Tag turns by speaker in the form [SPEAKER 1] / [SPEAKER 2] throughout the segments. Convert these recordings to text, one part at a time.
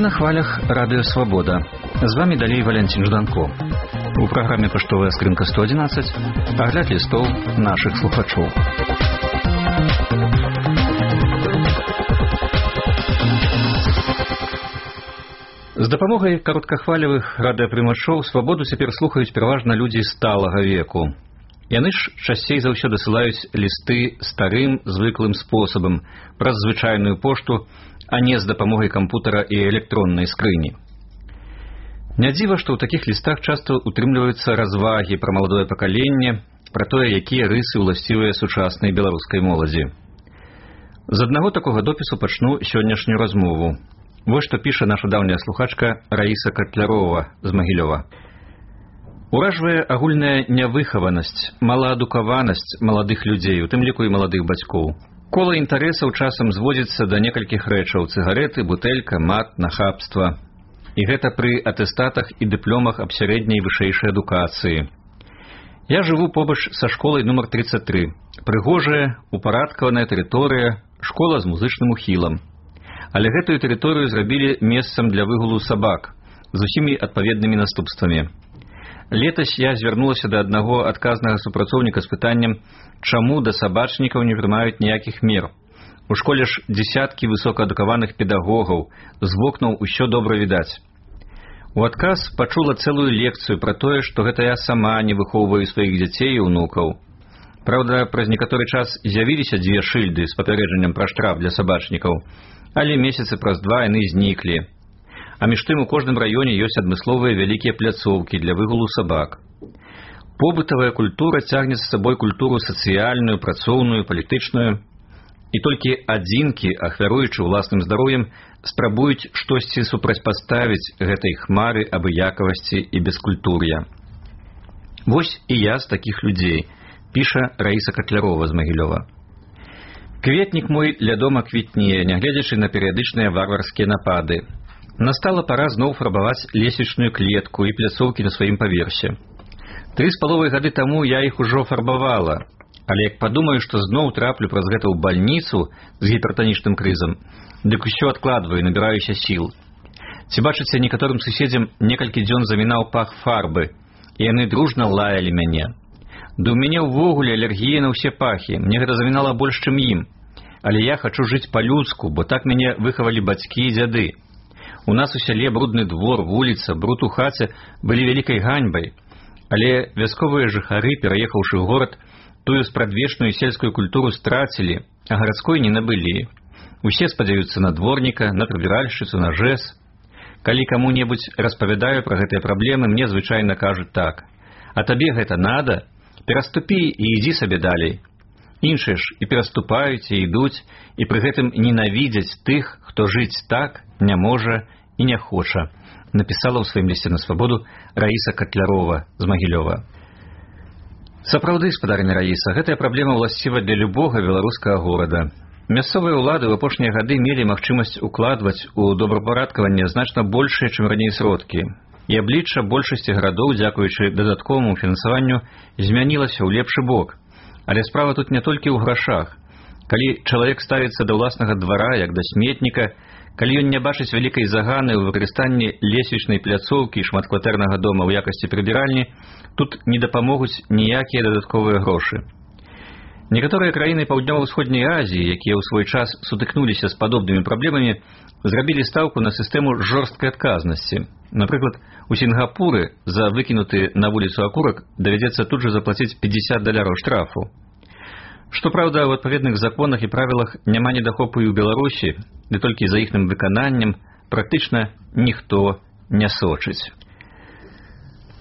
[SPEAKER 1] Вы на хвалях Радио Свобода. З вами далей Валентин Жданко. У праграме «Паштовая скрынка 111» агляд лістоў нашых слухачоў. З дапамогай кароткахвалевых радыёпрымачоў «Свабоду» цяпер слухаюць пераважна людзі сталага веку. Яны ж часцей за ўсё дасылаюць лісты старым, звыклым спосабам, праз звычайную пошту, а не з дапамогай кампутара і электроннай скрыні. Не дзіва, што ў такіх лістах часта утрымліваюцца развагі пра маладое пакаленне, пра тое, якія рысы ўласцівыя сучаснай беларускай моладзі. З аднаго такога допісу пачну сённяшнюю размову. Вось што піша наша даўняя слухачка Раіса Катлярова з Магілёва. Уражвае агульная нявыхаванасць, малаадукаванасць маладых людзей, у тым ліку і маладых бацькоў. Кола інтарэсаў часам зводзіцца да некалькіх рэчаў: цыгарэты, бутэлька, мат, нахабства. І гэта пры атэстатах і дыпломах аб сярэдняй вышэйшай адукацыі. Я жыву побач са школай нумар 33. Прыгожая, упарадкаваная тэрыторыя, школа з музычным ухілам. Але гэтую тэрыторыю зрабілі месцам для выгулу сабак з усімі адпаведнымі наступствамі. Летась я звярнулася да аднаго адказнага супрацоўніка з пытаннем, чаму да сабачнікаў не прымаюць ніякіх мер. У школе ж дзесяткі высокаадукаваных педагогаў, з вокнаў усё добра відаць. У адказ пачула цэлую лекцыю пра тое, што гэта я сама не выхоўваю сваіх дзяцей і ўнукаў. Праўда, праз некаторы час з'явіліся дзве шыльды з папярэджаннем пра штраф для сабачнікаў, але месяцы праз два яны зніклі. А між тым у кожным раёне ёсць адмысловыя вялікія пляцоўкі для выгулу сабак. Побытавая культура цягне з сабой культуру сацыяльную, працоўную, палітычную. І толькі адзінкі, ахвяруючы ўласным здароўем, спрабуюць штосьці супрацьпаставіць гэтай хмары абыякавасці і бескультур'я. Вось і я з такіх людзей, піша Раіса Катлярова з Магілёва. Кветнік мой ля дома квітнее, нягледзячы на перыядычныя варварскія напады. Настала пара зноў фарбаваць лесвічную клетку і пляцоўкі на сваім паверсе. 3,5 гады таму я іх ужо фарбавала, але як падумаю, што зноў траплю праз гэта ў бальніцу з гіпертанічным крызам, дык усё адкладваю, набіраюся сіл. Ці бачыце, некаторым суседзям некалькі дзён замінаў пах фарбы, і яны дружна лаялі мяне. Да ў мяне ўвогуле алергія на ўсе пахі, мне гэта замінала больш, чым ім. Але я хачу жыць па-людску, бо так мяне выхавалі бацькі і дзяды. У нас у сяле брудны двор, вуліца, бруд у хаце былі вялікай ганьбай, але вясковыя жыхары, пераехаўшы ў горад, тую спрадвечную сельскую культуру страцілі, а гарадской не набылі. Усе спадзяюцца на дворніка, на прыбіральшчыцу, на жэс. Калі каму-небудзь распавядаю пра гэтыя праблемы, мне звычайна кажуць так: а табе гэта надо? Пераступі і ідзі сабе далей. Іншыя ж і пераступаюць, і ідуць, і пры гэтым ненавідзяць тых, хто жыць так не можа і не хоча, напісала ў сваім лісце на свабоду Раіса Катлярова з Магілёва. Сапраўды, спадарыня Раіса, гэтая праблема ўласціва для любога беларускага горада. Мясцовыя ўлады ў апошнія гады мелі магчымасць укладваць у добрапарадкаванне значна большыя, чым раней сродкі. І аблічча большасці гарадоў, дзякуючы дадатковаму фінансаванню, змянілася ў лепшы бок. Але справа тут не толькі ў грашах. Калі чалавек ставіцца да ўласнага двара, як да сметніка, калі ён не бачыць вялікай заганы ў выкарыстанні лесвічнай пляцоўкі і шматкватэрнага дома ў якасці прыбіральні, тут не дапамогуць ніякія дадатковыя грошы. Некаторыя краіны Паўднёва-ўсходняй Азіі, якія ў свой час сутыкнуліся з падобнымі праблемамі, зрабілі стаўку на сістэму жорсткай адказнасці. Напрыклад, у Сінгапуры за выкінуты на вуліцу акурак давядзецца тут жа заплаціць $50 штрафу. Што праўда, у адпаведных законах і правілах няма недахопу і ў Беларусі, ды толькі за іхным выкананнем практычна ніхто не сочыць.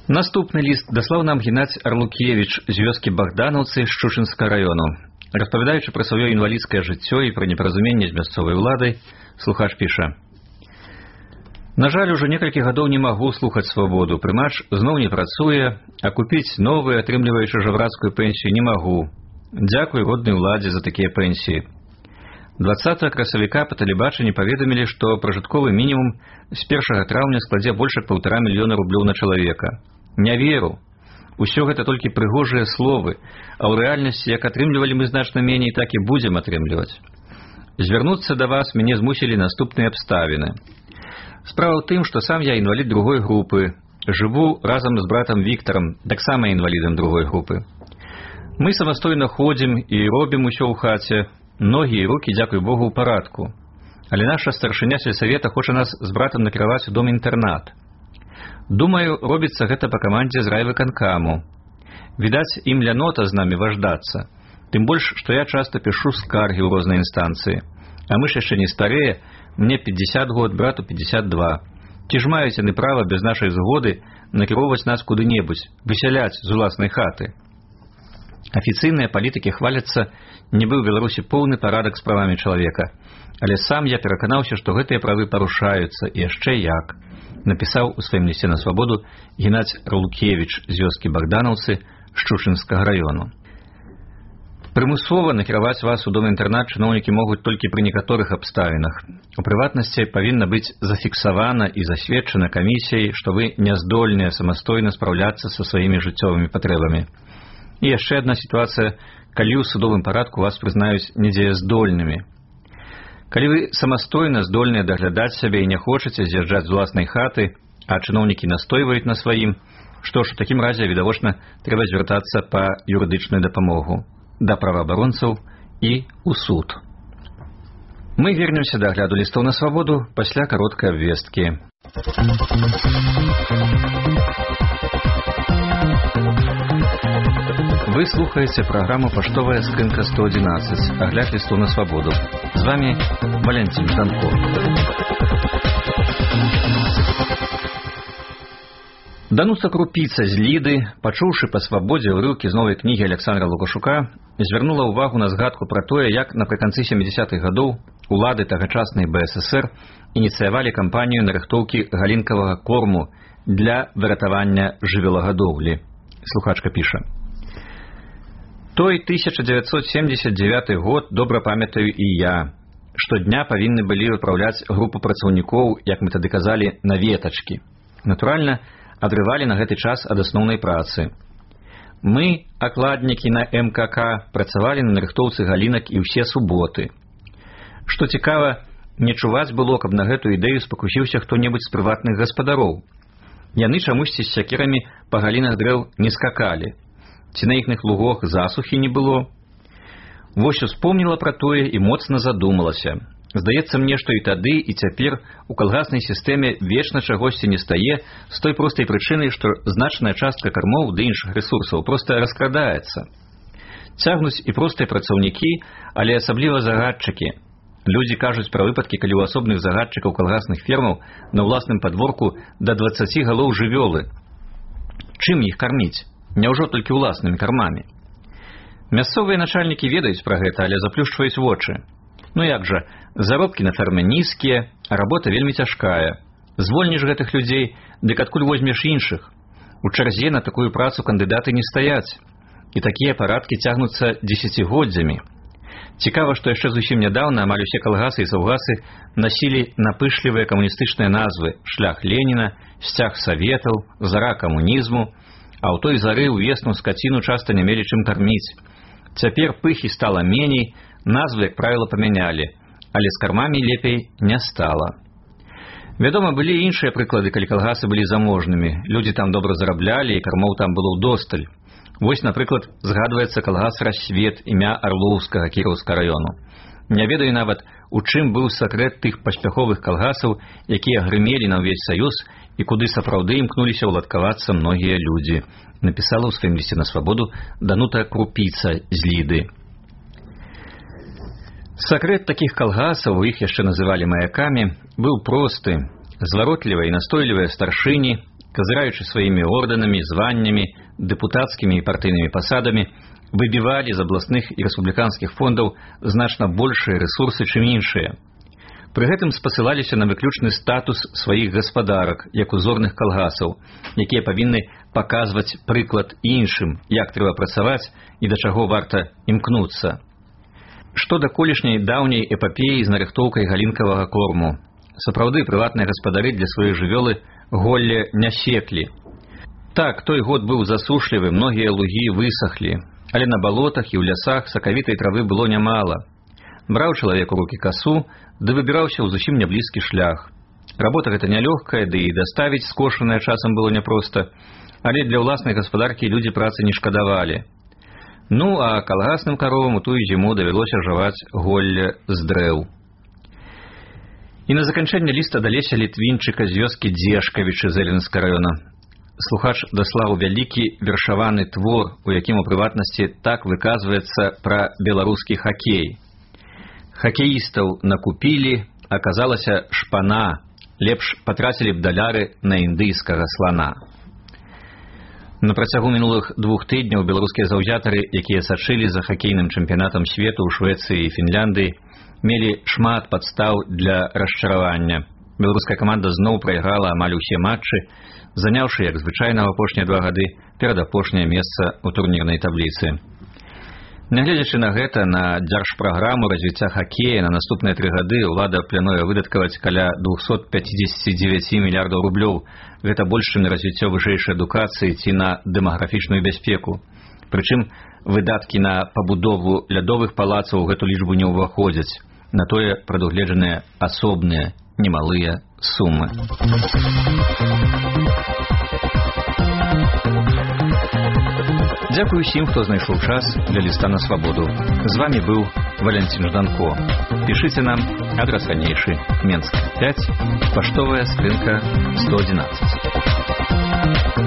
[SPEAKER 1] Наступны ліст даслаў нам Геннадзь Арлукевіч з вёскі Богдановцы Шчучынскага раёну. Распавядаючы пра сваё інвалідскае жыццё і пра непаразуменне з мясцовай уладай, слухач піша: на жаль, ужо некалькі гадоў не магу слухаць свабоду. Прымач зноў не працуе, а купіць новую, атрымліваючы жабрацкую пенсію, не магу. Дзякуй роднай уладзе за такія пенсіі. 20 красавіка па тэлебачанні паведамілі, што пражытковы мінімум з 1 траўня складзе больш як 1,5 мільёна рублёў на чалавека. Не веру. Усё гэта толькі прыгожыя словы, а ў рэальнасці, як атрымлівалі мы значна меней, так і будзем атрымліваць. Звярнуцца да вас мяне змусілі наступныя абставіны. Справа ў тым, што сам я інвалід другой групы. Жыву разам з братам Віктарам, таксама інвалідам другой групы. Мы самастойна ходзім і робім усё ў хаце. Ногі і рукі, дзякуй Богу, ў парадку. Але наша старшыня сельсавета хоча нас з братам накіраваць у дом-інтэрнат. Думаю, робіцца гэта па камандзе з райвыканкаму. Відаць, ім лянота з намі важдацца. Тым больш, што я часта пішу скаргі ў розныя інстанцыі. А мы ж яшчэ не старыя, мне 50 год, брату 52. Ці ж маюць яны права без нашай згоды накіроўваць нас куды-небудзь, высяляць з уласнай хаты. Афіцыйныя палітыкі хваляцца, нібы ў Беларусі поўны парадак з правамі чалавека. Але сам я пераканаўся, што гэтыя правы парушаюцца, і яшчэ як. Напісаў у сваім лісце на свабоду Геннадзь Рулкевіч з вёскі Богданаўцы Шчучынскага раёну. Прымусова накіраваць вас у дом-інтэрнат чыноўнікі могуць толькі пры некаторых абставінах. У прыватнасці павінна быць зафіксавана і засведчана камісіяй, што вы няздольныя самастойна спраўляцца са сваімі жыццёвымі патрэбамі. І яшчэ адна сітуацыя, калі ў судовым парадку вас прызнаюць недзеяздольнымі. Калі вы самастойна здольныя даглядаць сябе і не хочаце з'язджаць з уласнай хаты, а чыноўнікі настойваюць на сваім, што ж, у такім разе, відавочна, трэба звяртацца па юрыдычную дапамогу да праваабаронцаў і ў суд. Мы вернемся да агляду лістоў на свабоду пасля кароткай абвесткі. Вы слухаеце праграму «Паштовая скрынка 111», агляд лістоў на свабоду. З вами Валентин Жданко. Дануца Крупіца з Ліды, пачуўшы па свабодзе ўрыўкі з новай кнігі Александра Лукашука, звярнула ўвагу на згадку пра тое, як напрыканцы 70-х гадоў улады тагачаснай БССР ініцыявалі кампанію нарыхтоўкі галінкавага корму для выратавання жывёлагадоўлі. Слухачка піша. Той 1979 год добра памятаю і я. Штодня павінны былі выпраўляць групу працаўнікоў, як мы тады казалі, на ветачкі. Натуральна, адрывалі на гэты час ад асноўнай працы. Мы, акладнікі на МКК, працавалі на нарыхтоўцы галінак і ўсе суботы. Што цікава, не чуваць было, каб на гэтую ідэю спакусіўся хто-небудзь з прыватных гаспадароў. Яны чамусьці з сякерамі па галінах дрэў не скакалі. Ці на іхных лугах засухі не было. Вось успомніла пра тое і моцна задумалася. Здаецца мне, што і тады, і цяпер у калгаснай сістэме вечна чагосьці не стае з той простай прычыны, што значная частка кармоў ды іншых рэсурсаў проста раскрадаецца. Цягнуць і простыя працаўнікі, але асабліва загадчыкі. Людзі кажуць пра выпадкі, калі ў асобных загадчыкаў калгасных фермаў на ўласным падворку да 20 галоў жывёлы. Чым іх карміць? Няўжо толькі ўласнымі кармамі? Мясцовыя начальнікі ведаюць пра гэта, але заплюшчваюць вочы. Ну як жа, заробкі на ферме нізкія, а работа вельмі цяжкая. Звольніш гэтых людзей, дык адкуль возьмеш іншых? У чарзе на такую працу кандыдаты не стаяць. І такія парадкі цягнуцца дзесяцігоддзямі. Цікава, што яшчэ зусім нядаўна амаль усе калгасы і саўгасы насілі напышлівыя камуністычныя назвы «Шлях Леніна», «Сцяг Саветаў», «Зара камунізму», а ў той зары ўвесну скаціну часта не мелі чым карміць. Цяпер пыхі стала меней, назвы, як правіла, памянялі, але з кармамі лепей не стала. Вядома, былі іншыя прыклады, калі калгасы былі заможнымі. Людзі там добра зараблялі, і кармоў там было ўдосталь. Вось, напрыклад, згадваецца калгас «Рассвет» імя Арлоўскага Кіроўскага раёну. Не ведаю нават, у чым быў сакрэт тых паспяховых калгасаў, якія грымелі на ўвесь саюз і куды сапраўды імкнуліся ўладкавацца многія людзі, напісала ў сваім лісце на свабоду Данута Крупіца з Ліды. Сакрэт такіх калгасаў, іх яшчэ называлі маякамі, быў просты. Зваротлівыя і настойлівыя старшыні, казыраючы сваімі ордэнамі, званнямі, дэпутацкімі і партыйнымі пасадамі, выбівалі з абласных і рэспубліканскіх фондаў значна большыя рэсурсы, чым іншыя. Пры гэтым спасылаліся на выключны статус сваіх гаспадарак, як узорных калгасаў, якія павінны паказваць прыклад іншым, як трэба працаваць і да чаго варта імкнуцца. Што да колішняй даўняй эпапеі з нарыхтоўкай галінкавага корму. Сапраўды, прыватныя гаспадары для сваёй жывёлы голле не секлі. Так, той год быў засушлівы, многія лугі высахлі, але на балотах і ў лясах сакавітай травы было нямала. Браў чалавек у рукі касу, ды выбіраўся ў зусім няблізкі шлях. Работа гэта нялёгкая, ды і даставіць скошанае часам было няпроста, але для ўласнай гаспадаркі людзі працы не шкадавалі. Ну, а калгасным каровам у тую зіму давялося жаваць голле з дрэў. І на заканчэнне ліста да Леся Літвінчыка з вёскі Дзешкавічы Зэленскага раёна слухач даслаў вялікі вершаваны твор, у якім у прыватнасці так выказваецца пра беларускі хакей. Хакеістаў накупілі, аказалася шпана, лепш патрацілі б даляры на індыйскага слана. На працягу мінулых 2 тыдняў беларускія заўзятары, якія сачылі за хакейным чэмпіянатам свету ў Швецыі і Фінляндыі, мелі шмат падстаў для расчаравання. Беларуская каманда зноў прайграла амаль усе матчы, заняўшы, як звычайна, ў апошнія 2 гады перадапошняе месца ў турнірнай табліцы. Нягледзячы на гэта, на дзяржпраграму развіцця хакея на наступныя 3 гады ўлада плануе выдаткаваць каля 259 мільярдаў рублёў. Гэта больш, чым на развіццё вышэйшай адукацыі ці на дэмаграфічную бяспеку. Прычым выдаткі на пабудову лядовых палацаў у гэту лічбу не ўваходзяць. На тое прадугледжаныя асобныя немалыя сумы. Дзякую усім, хто знайшоў час для ліста на свабоду. З вами быў Валянцін Жданко. Пішыце нам, адрас ранейшы, Менск 5, паштовая скрынка 111.